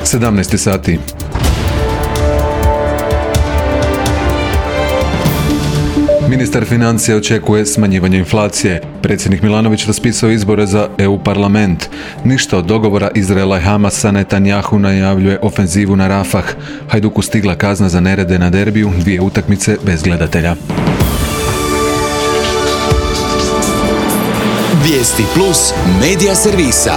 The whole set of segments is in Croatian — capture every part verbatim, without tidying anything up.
sedamnaest sati. Ministar financija očekuje smanjivanje inflacije. Predsjednik Milanović raspisao izbore za E U parlament. Ništa od dogovora Izraela i Hamasa, Netanjahu najavljuje ofenzivu na Rafah. Hajduku stigla kazna za nerede na derbiju, dvije utakmice bez gledatelja. Vijesti plus medija servisa.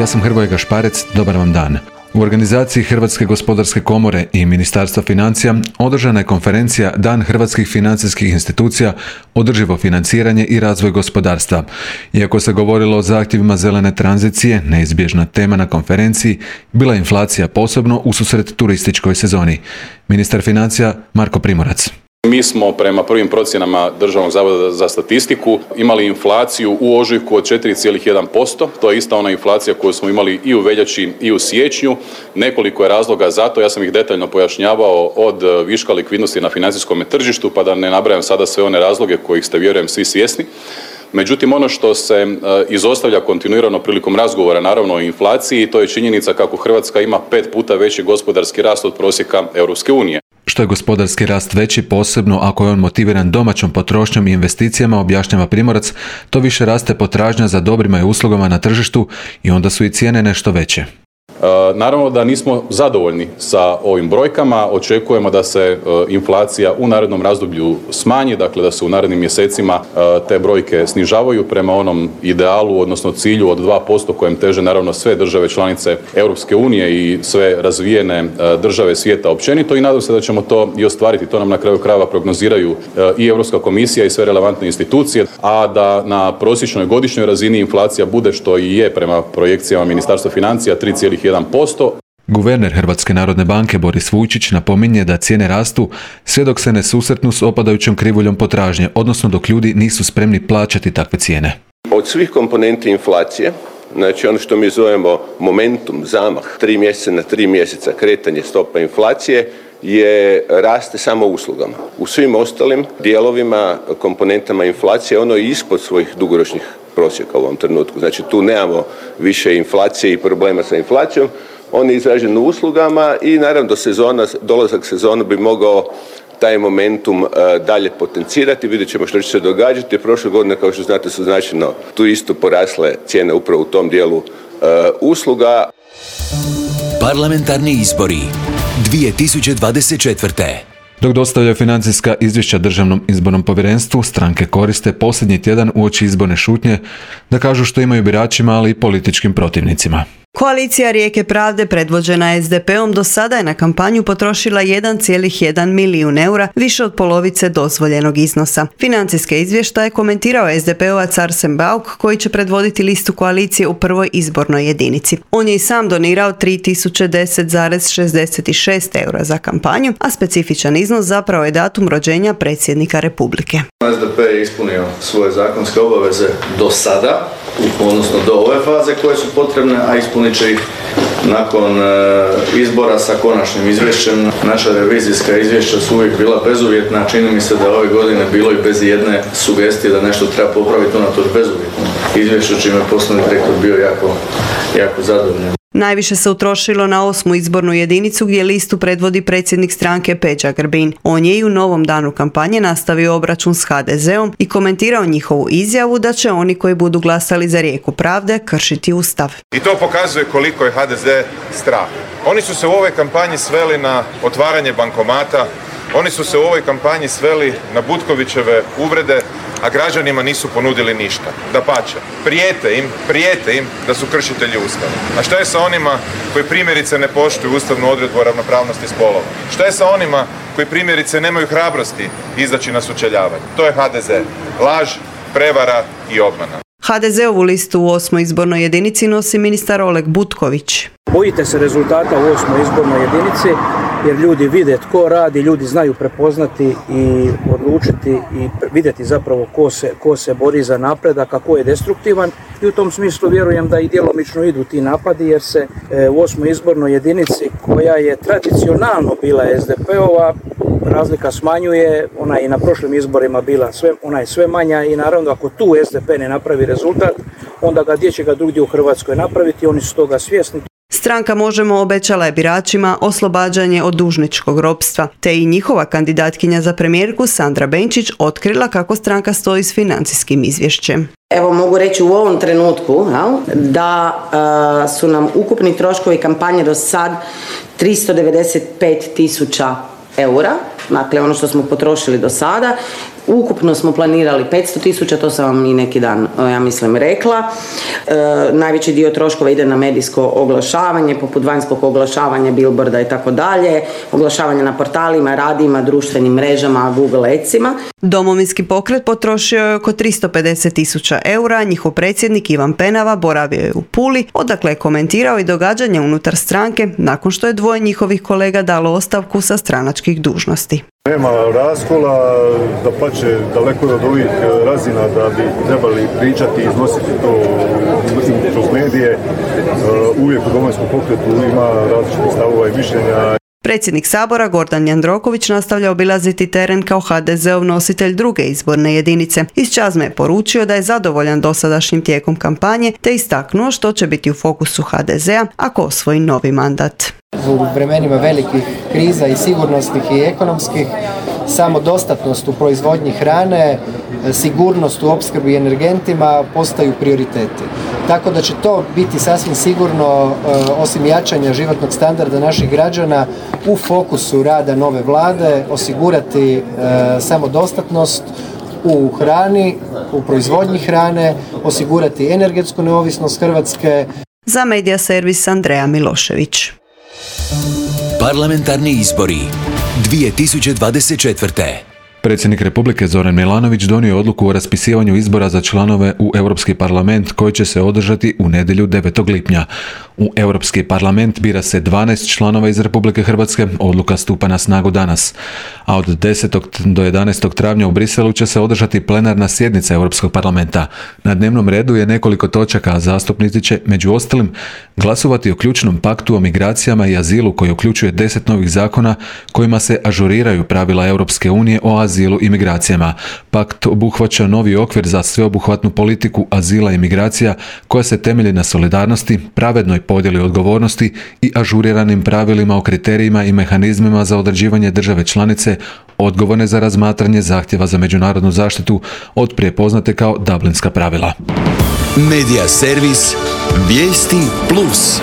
Ja sam Hrvoje Gašparec, dobar vam dan. U organizaciji Hrvatske gospodarske komore i Ministarstva financija održana je konferencija Dan hrvatskih financijskih institucija, održivo financiranje i razvoj gospodarstva. Iako se govorilo o zahtjevima zelene tranzicije, neizbježna tema na konferenciji bila je inflacija, posebno ususret turističkoj sezoni. Ministar financija Marko Primorac. Mi smo prema prvim procjenama Državnog zavoda za statistiku imali inflaciju u ožujku od četiri zarez jedan posto. To je ista ona inflacija koju smo imali i u veljači i u siječnju. Nekoliko je razloga za to, ja sam ih detaljno pojašnjavao, od viška likvidnosti na financijskom tržištu, pa da ne nabrajam sada sve one razloge kojih ste, vjerujem, svi svjesni. Međutim, ono što se izostavlja kontinuirano prilikom razgovora, naravno, o inflaciji, to je činjenica kako Hrvatska ima pet puta veći gospodarski rast od prosjeka Europske unije. Što je gospodarski rast veći, posebno ako je on motiviran domaćom potrošnjom i investicijama, objašnjava Primorac, to više raste potražnja za dobrima i uslugama na tržištu i onda su i cijene nešto veće. Naravno da nismo zadovoljni sa ovim brojkama, očekujemo da se inflacija u narednom razdoblju smanji, dakle da se u narednim mjesecima te brojke snižavaju prema onom idealu, odnosno cilju od dva posto kojem teže naravno sve države članice Europske unije i sve razvijene države svijeta općenito, i nadam se da ćemo to i ostvariti. To nam na kraju krajeva prognoziraju i Europska komisija i sve relevantne institucije, a da na prosječnoj godišnjoj razini inflacija bude, što i je prema projekcijama Ministarstva financija, tri zarez jedan posto. Guverner Hrvatske narodne banke Boris Vujčić napominje da cijene rastu sve dok se ne susretnu s opadajućom krivuljom potražnje, odnosno dok ljudi nisu spremni plaćati takve cijene. Od svih komponenti inflacije, znači ono što mi zovemo momentum, zamah, tri mjeseca na tri mjeseca kretanje stopa inflacije, je raste samo uslugama. U svim ostalim dijelovima, komponentama inflacije, ono je ispod svojih dugoročnih prosjeka u ovom trenutku. Znači tu nemamo više inflacije i problema sa inflacijom. On je izražen u uslugama i naravno do sezona, dolazak sezona bi mogao taj momentum uh, dalje potencirati. Vidjet ćemo što će se događati. Prošle godine, kao što znate, su značajno tu isto porasle cijene upravo u tom dijelu uh, usluga. Parlamentarni izbori dvije tisuće dvadeset četvrte. Dok dostavljaju financijska izvješća Državnom izbornom povjerenstvu, stranke koriste posljednji tjedan uoči izborne šutnje da kažu što imaju biračima, ali i političkim protivnicima. Koalicija Rijeke pravde predvođena es de pe om do sada je na kampanju potrošila jedan zarez jedan milijun eura, više od polovice dozvoljenog iznosa. Financijske izvještaje komentirao es de pe ovac Arsen Bauk, koji će predvoditi listu koalicije u prvoj izbornoj jedinici. On je i sam donirao tri tisuće deset zarez šezdeset šest eura za kampanju, a specifičan iznos zapravo je datum rođenja predsjednika Republike. es de pe je ispunio svoje zakonske obaveze do sada, odnosno do ove faze koje su potrebne, a ispunit će ih nakon e, izbora sa konačnim izvješćem. Naša revizijska izvješća su uvijek bila bezuvjetna, čini mi se da ove godine bilo i bez jedne sugestije da nešto treba popraviti, unatoč bezuvjetnom izvješću, čime je poslovni direktor bio jako, jako zadovoljan. Najviše se utrošilo na osmu izbornu jedinicu gdje listu predvodi predsjednik stranke Peđa Grbin. On je i u novom danu kampanje nastavio obračun s ha de zeom i komentirao njihovu izjavu da će oni koji budu glasali za Rijeku pravde kršiti Ustav. I to pokazuje koliko je ha de ze strah. Oni su se u ovoj kampanji sveli na otvaranje bankomata, oni su se u ovoj kampanji sveli na Butkovićeve uvrede, a građanima nisu ponudili ništa. Dapače, prijete im, prijete im da su kršitelji Ustava. A šta je sa onima koji primjerice ne poštuju ustavnu odredbu o ravnopravnosti spolova? Šta je sa onima koji primjerice nemaju hrabrosti izaći na sučeljavanje? To je ha de ze. Laž, prevara i obmana. ha de zeovu listu u osmoj izbornoj jedinici nosi ministar Oleg Butković. Bojite se rezultata u osmoj izbornoj jedinici jer ljudi vide tko radi, ljudi znaju prepoznati i odlučiti i vidjeti zapravo ko se, ko se bori za napredak, a ko je destruktivan, i u tom smislu vjerujem da i djelomično idu ti napadi jer se e, u osmoj izbornoj jedinici, koja je tradicionalno bila es de pe ova, razlika smanjuje, ona je i na prošlim izborima bila sve, ona je sve manja i naravno ako tu es de pe ne napravi rezultat, onda ga gdje će ga drugdje u Hrvatskoj napraviti, oni su toga svjesni. Stranka Možemo obećala je biračima oslobađanje od dužničkog ropstva, te i njihova kandidatkinja za premijerku Sandra Benčić otkrila kako stranka stoji s financijskim izvješćem. Evo mogu reći u ovom trenutku jel, da uh, su nam ukupni troškovi kampanje do sad tristo devedeset pet tisuća eura, dakle ono što smo potrošili do sada. Ukupno smo planirali petsto tisuća, to sam vam i neki dan, ja mislim, rekla. E, najveći dio troškova ide na medijsko oglašavanje, poput vanjskog oglašavanja, billboarda i tako dalje, oglašavanje na portalima, radijima, društvenim mrežama, Google Adsima. Domovinski pokret potrošio je oko tristo pedeset tisuća eura, njihov predsjednik Ivan Penava boravio je u Puli, odakle je komentirao i događanje unutar stranke nakon što je dvoje njihovih kolega dalo ostavku sa stranačkih dužnosti. Nema raskola, da pače daleko od ovih razina da bi trebali pričati i iznositi to kroz medije. Uvijek u Domovinskom pokretu ima različitih stavova i mišljenja. Predsjednik Sabora Gordan Jandroković nastavlja obilaziti teren kao ha de zeov nositelj druge izborne jedinice. Iz Čazme je poručio da je zadovoljan dosadašnjim tijekom kampanje te istaknuo što će biti u fokusu ha de zea ako osvoji novi mandat. U vremenima velikih kriza i sigurnosnih i ekonomskih, samodostatnost u proizvodnji hrane, sigurnost u opskrbi energentima postaju prioriteti. Tako da će to biti sasvim sigurno, osim jačanja životnog standarda naših građana, u fokusu rada nove vlade, osigurati samodostatnost u hrani, u proizvodnji hrane, osigurati energetsku neovisnost Hrvatske. Za Medija servis Andreja Milošević. Parlamentarni izbori dvije tisuće dvadeset četvrte. Predsjednik Republike Zoran Milanović donio je odluku o raspisivanju izbora za članove u Europski parlament koji će se održati u nedjelju devetog lipnja. U Europski parlament bira se dvanaest članova iz Republike Hrvatske, odluka stupa na snagu danas. A od desetog do jedanaestog travnja u Briselu će se održati plenarna sjednica Europskog parlamenta. Na dnevnom redu je nekoliko točaka, a zastupnici će, među ostalim, glasovati o ključnom paktu o migracijama i azilu koji uključuje deset novih zakona kojima se ažuriraju pravila Europske unije o azilu i migracijama. Pakt obuhvaća novi okvir za sveobuhvatnu politiku azila i migracija koja se temelji na solidarnosti, pravednoj podjeli odgovornosti i ažuriranim pravilima o kriterijima i mehanizmima za određivanje države članice odgovorne za razmatranje zahtjeva za međunarodnu zaštitu, otprije poznate kao Dublinska pravila. Medija servis Vijesti Plus.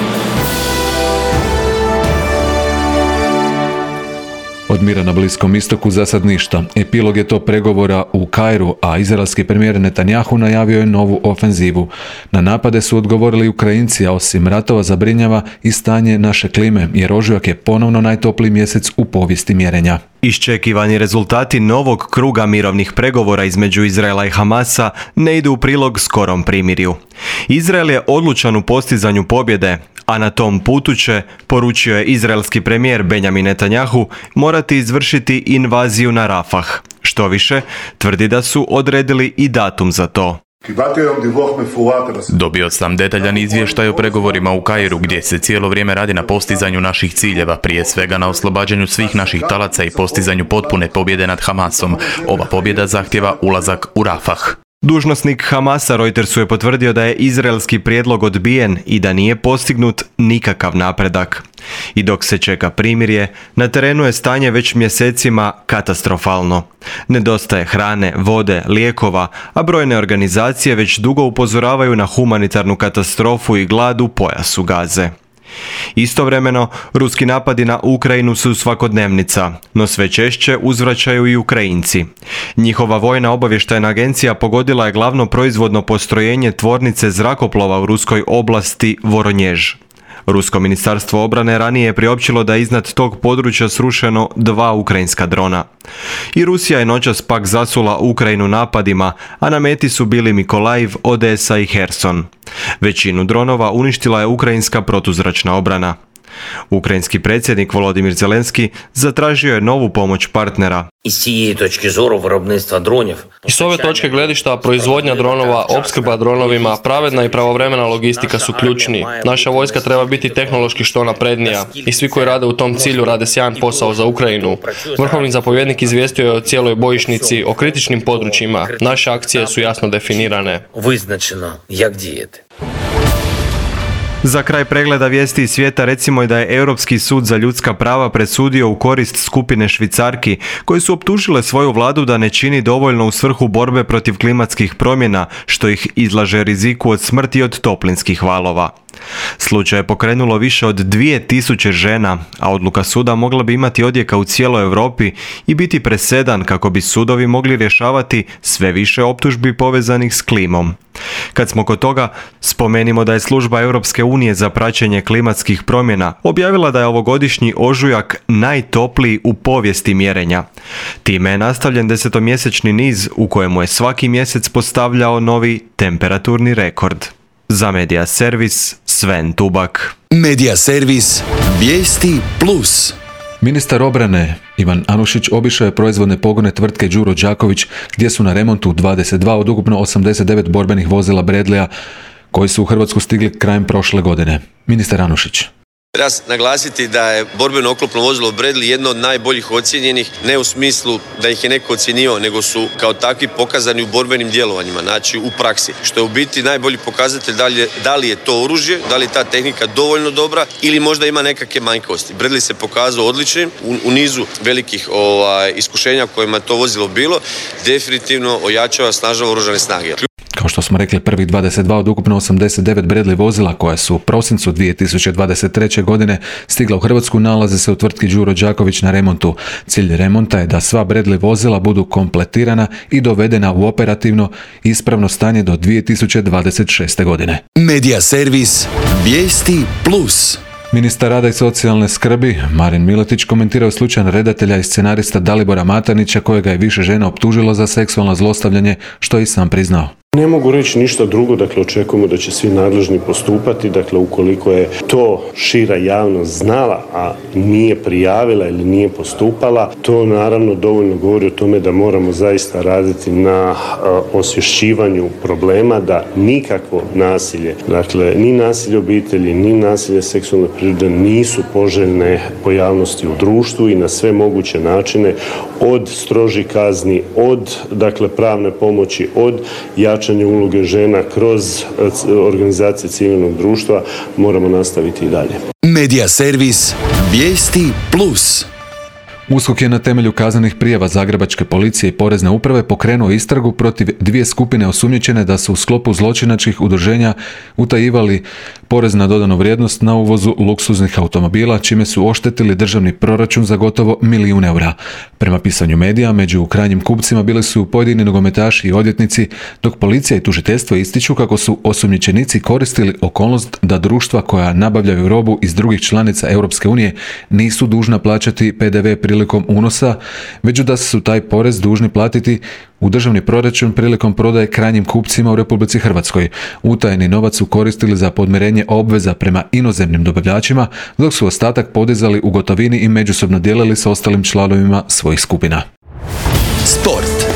Od mira na Bliskom istoku za sad ništa. Epilog je to pregovora u Kairu, a izraelski premijer Netanjahu najavio je novu ofenzivu. Na napade su odgovorili Ukrajinci, a osim ratova zabrinjava i stanje naše klime, jer ožujak je ponovno najtopliji mjesec u povijesti mjerenja. Iščekivani rezultati novog kruga mirovnih pregovora između Izraela i Hamasa ne idu u prilog skorom primirju. Izrael je odlučan u postizanju pobjede, a na tom putu će, poručio je izraelski premijer Benjamin Netanjahu, morati izvršiti invaziju na Rafah. Što više, tvrdi da su odredili i datum za to. Dobio sam detaljan izvještaj o pregovorima u Kairu gdje se cijelo vrijeme radi na postizanju naših ciljeva, prije svega na oslobađanju svih naših talaca i postizanju potpune pobjede nad Hamasom. Ova pobjeda zahtjeva ulazak u Rafah. Dužnosnik Hamasa Reutersu je potvrdio da je izraelski prijedlog odbijen i da nije postignut nikakav napredak. I dok se čeka primirje, na terenu je stanje već mjesecima katastrofalno. Nedostaje hrane, vode, lijekova, a brojne organizacije već dugo upozoravaju na humanitarnu katastrofu i glad u pojasu Gaze. Istovremeno, ruski napadi na Ukrajinu su svakodnevnica, no sve češće uzvraćaju i Ukrajinci. Njihova vojna obavještajna agencija pogodila je glavno proizvodno postrojenje tvornice zrakoplova u ruskoj oblasti Voronjež. Rusko ministarstvo obrane ranije je priopćilo da je iznad tog područja srušeno dva ukrajinska drona. I Rusija je noćas pak zasula Ukrajinu napadima, a na meti su bili Mikolajv, Odesa i Herson. Većinu dronova uništila je ukrajinska protuzračna obrana. Ukrajinski predsjednik Volodimir Zelenski zatražio je novu pomoć partnera. I s ove točke gledišta proizvodnja dronova, opskrba dronovima, pravedna i pravovremena logistika su ključni. Naša vojska treba biti tehnološki što naprednija i svi koji rade u tom cilju rade sjajan posao za Ukrajinu. Vrhovni zapovjednik izvijestio je o cijeloj bojišnici, o kritičnim područjima. Naše akcije su jasno definirane. Za kraj pregleda vijesti iz svijeta recimo i da je Europski sud za ljudska prava presudio u korist skupine Švicarki koje su optužile svoju vladu da ne čini dovoljno u svrhu borbe protiv klimatskih promjena, što ih izlaže riziku od smrti od toplinskih valova. Slučaj je pokrenulo više od dvije tisuće žena, a odluka suda mogla bi imati odjeka u cijeloj Europi i biti presedan kako bi sudovi mogli rješavati sve više optužbi povezanih s klimom. Kad smo kod toga, spomenimo da je služba Europske unije za praćenje klimatskih promjena objavila da je ovogodišnji ožujak najtopliji u povijesti mjerenja. Time je nastavljen desetomjesečni niz u kojemu je svaki mjesec postavljao novi temperaturni rekord. Za Medija Servis, Sven Tubak. Medija Servis, vijesti plus. Ministar obrane Ivan Anušić obišao je proizvodne pogone tvrtke Đuro Đaković gdje su na remontu dvadeset dva od ukupno osamdeset devet borbenih vozila Bradleya koji su u Hrvatsku stigli krajem prošle godine. Ministar Anušić. Treba naglasiti da je borbeno oklopno vozilo Bradley jedno od najboljih ocijenjenih, ne u smislu da ih je neko ocjenio, nego su kao takvi pokazani u borbenim djelovanjima, znači u praksi. Što je u biti najbolji pokazatelj da li je, da li je to oružje, da li je ta tehnika dovoljno dobra ili možda ima nekakve manjkosti. Bradley se pokazao odličnim u, u nizu velikih ovaj, iskušenja kojima to vozilo bilo, definitivno ojačava, snažava oružane snage. Kao što smo rekli, prvih dvadeset dva od ukupno osamdeset devet Bradley vozila koja su u prosincu dvije tisuće dvadeset treće. godine stigla u Hrvatsku nalaze se u tvrtki Đuro Đaković na remontu. Cilj remonta je da sva Bradley vozila budu kompletirana i dovedena u operativno ispravno stanje do dvije tisuće dvadeset šeste. godine. Medija Servis, vijesti plus. Ministar rada i socijalne skrbi Marin Miletić komentirao slučaj redatelja i scenarista Dalibora Matanića kojega je više žena optužilo za seksualno zlostavljanje, što je i sam priznao. Ne mogu reći ništa drugo, dakle očekujemo da će svi nadležni postupati, dakle ukoliko je to šira javnost znala, a nije prijavila ili nije postupala, to naravno dovoljno govori o tome da moramo zaista raditi na uh, osvješćivanju problema, da nikakvo nasilje, dakle ni nasilje obitelji, ni nasilje seksualne prirode nisu poželjne pojavnosti u društvu i na sve moguće načine, od strožih kazni, od dakle pravne pomoći, od jačanja uloge žena kroz organizacije civilnog društva moramo nastaviti i dalje. Medija Servis, vijesti plus. U S K O K je na temelju kaznenih prijava Zagrebačke policije i Porezne uprave pokrenuo istragu protiv dvije skupine osumnjičene da su u sklopu zločinačkih udruženja utajivali porez na dodanu vrijednost na uvozu luksuznih automobila, čime su oštetili državni proračun za gotovo milijun eura. Prema pisanju medija, među krajnjim kupcima bili su pojedini nogometaši i odvjetnici, dok policija i tužiteljstvo ističu kako su osumnjičenici koristili okolnost da društva koja nabavljaju robu iz drugih članica Europske unije nisu dužna plaćati P D V prilikom unosa, već da su taj porez dužni platiti u državni proračun prilikom prodaje krajnjim kupcima u Republici Hrvatskoj. Utajeni novac su koristili za podmirenje obveza prema inozemnim dobavljačima, dok su ostatak podizali u gotovini i međusobno dijelili s ostalim članovima svojih skupina. Sport.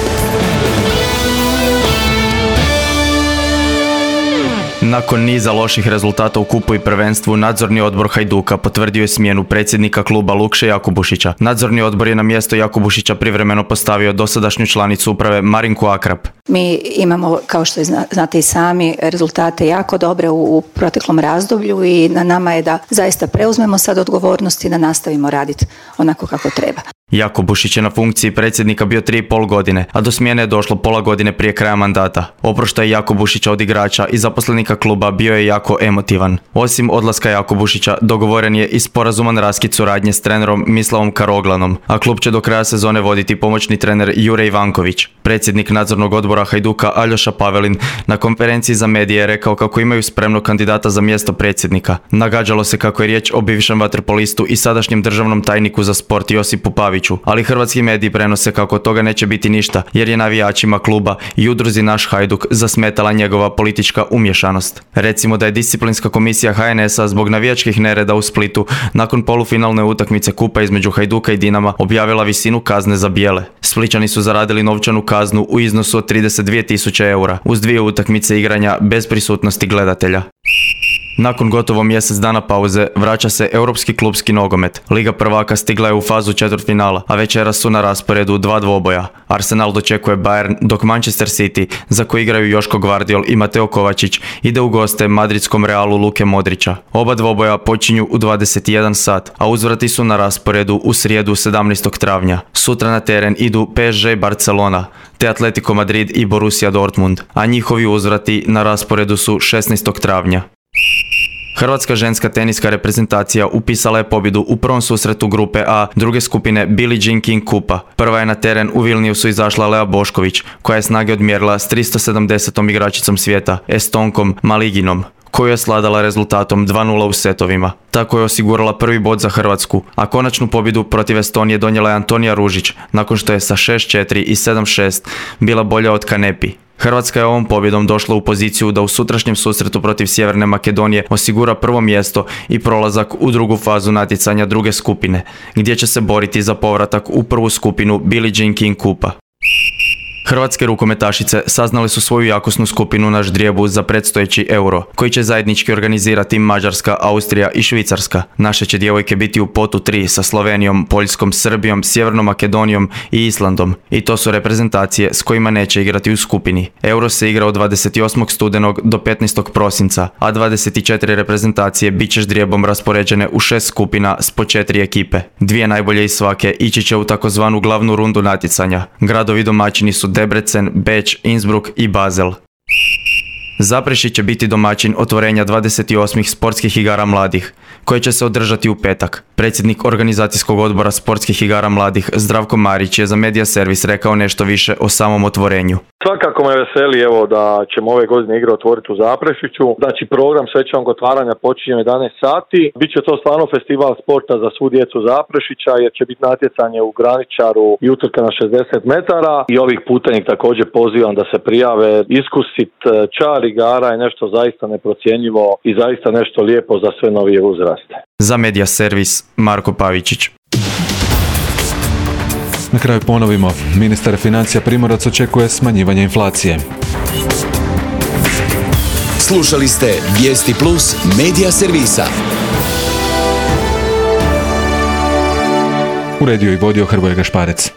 Nakon niza loših rezultata u kupu i prvenstvu, nadzorni odbor Hajduka potvrdio je smjenu predsjednika kluba Lukše Jakubušića. Nadzorni odbor je na mjesto Jakubušića privremeno postavio dosadašnju članicu uprave Marinku Akrap. Mi imamo, kao što znate i sami, rezultate jako dobre u, u proteklom razdoblju i na nama je da zaista preuzmemo sad odgovornost i da nastavimo raditi onako kako treba. Jakubušić je na funkciji predsjednika bio tri i pol godine, a do smjene je došlo pola godine prije kraja mandata. Oproštaj Jakubušića od igrača i zaposlenika kluba bio je jako emotivan. Osim odlaska Jakubušića, dogovoren je i sporazuman raskid suradnje s trenerom Mislavom Karoglanom, a klub će do kraja sezone voditi pomoćni trener Jure Ivanković. Predsjednik nadzornog odbora Hajduka Aljoša Pavelin na konferenciji za medije je rekao kako imaju spremnog kandidata za mjesto predsjednika. Nagađalo se kako je riječ o bivšem vaterpolistu i sadašnjem državnom tajniku za sport Josipu Paviću, ali hrvatski mediji prenose kako toga neće biti ništa jer je navijačima kluba i udruzi Naš Hajduk zasmetala njegova politička umješanost. Recimo da je disciplinska komisija H N S-a zbog navijačkih nereda u Splitu nakon polufinalne utakmice kupa između Hajduka i Dinama objavila visinu kazne za bijele. Splićani su zaradili novčanu kaznu u iznosu od trideset dvije tisuće eura uz dvije utakmice igranja bez prisutnosti gledatelja. Nakon gotovo mjesec dana pauze vraća se europski klupski nogomet. Liga prvaka stigla je u fazu četvrtfinala, a večeras su na rasporedu dva dvoboja. Arsenal dočekuje Bayern, dok Manchester City, za koji igraju Joško Gvardiol i Mateo Kovačić, ide u goste madridskom Realu Luke Modrića. Oba dvoboja počinju u dvadeset jedan sat, a uzvrati su na rasporedu u srijedu sedamnaestog travnja. Sutra na teren idu P S G Barcelona, te Atletico Madrid i Borussia Dortmund, a njihovi uzvrati na rasporedu su šesnaestog travnja. Hrvatska ženska teniska reprezentacija upisala je pobjedu u prvom susretu grupe A druge skupine Billie Jean King Kupa. Prva je na teren u Vilniusu izašla Lea Bošković, koja je snage odmjerila s tristo sedamdesetom igračicom svijeta, Estonkom Maliginom, koju je sladala rezultatom dva nula u setovima. Tako je osigurala prvi bod za Hrvatsku, a konačnu pobjedu protiv Estonije donijela je Antonija Ružić, nakon što je sa šest četiri i sedam šest bila bolja od Kanepi. Hrvatska je ovom pobjedom došla u poziciju da u sutrašnjem susretu protiv Sjeverne Makedonije osigura prvo mjesto i prolazak u drugu fazu natjecanja druge skupine, gdje će se boriti za povratak u prvu skupinu Billie Jean King Kupa. Hrvatske rukometašice saznali su svoju jakosnu skupinu na ždrijebu za predstojeći Euro, koji će zajednički organizirati Mađarska, Austrija i Švicarska. Naše će djevojke biti u potu tri sa Slovenijom, Poljskom, Srbijom, Sjevernom Makedonijom i Islandom. I to su reprezentacije s kojima neće igrati u skupini. Euro se igra od dvadeset osmog studenog do petnaestog prosinca, a dvadeset četiri reprezentacije bit će ždrijebom raspoređene u šest skupina s po četiri ekipe. Dvije najbolje iz svake ići će u takozvanu glavnu rundu natjecanja. Gradovi domaćini su Debrecen, Beč, Innsbruck i Basel. Zaprešić će biti domaćin otvorenja dvadeset osmih sportskih igara mladih, koje će se održati u petak. Predsjednik organizacijskog odbora sportskih igara mladih Zdravko Marić je za Media Servis rekao nešto više o samom otvorenju. Svakako me veseli evo da ćemo ove godine igre otvoriti u Zaprešiću. Znači program svečanog otvaranja počinje u jedanaest sati. Biće to stvarno festival sporta za svu djecu Zaprešića jer će biti natjecanje u graničaru i utrka na šezdeset metara. I ovih puta ih također pozivam da se prijave. Iskusit čar igara je nešto zaista neprocjenjivo i zaista nešto lijepo za sve novije uzraste. Za Media Servis Marko Pavičić. Na kraju ponovimo, ministar financija Primorac očekuje smanjivanje inflacije. Slušali ste Vijesti Plus Media Servisa. Uredio i vodio Hrvoje Gašparec.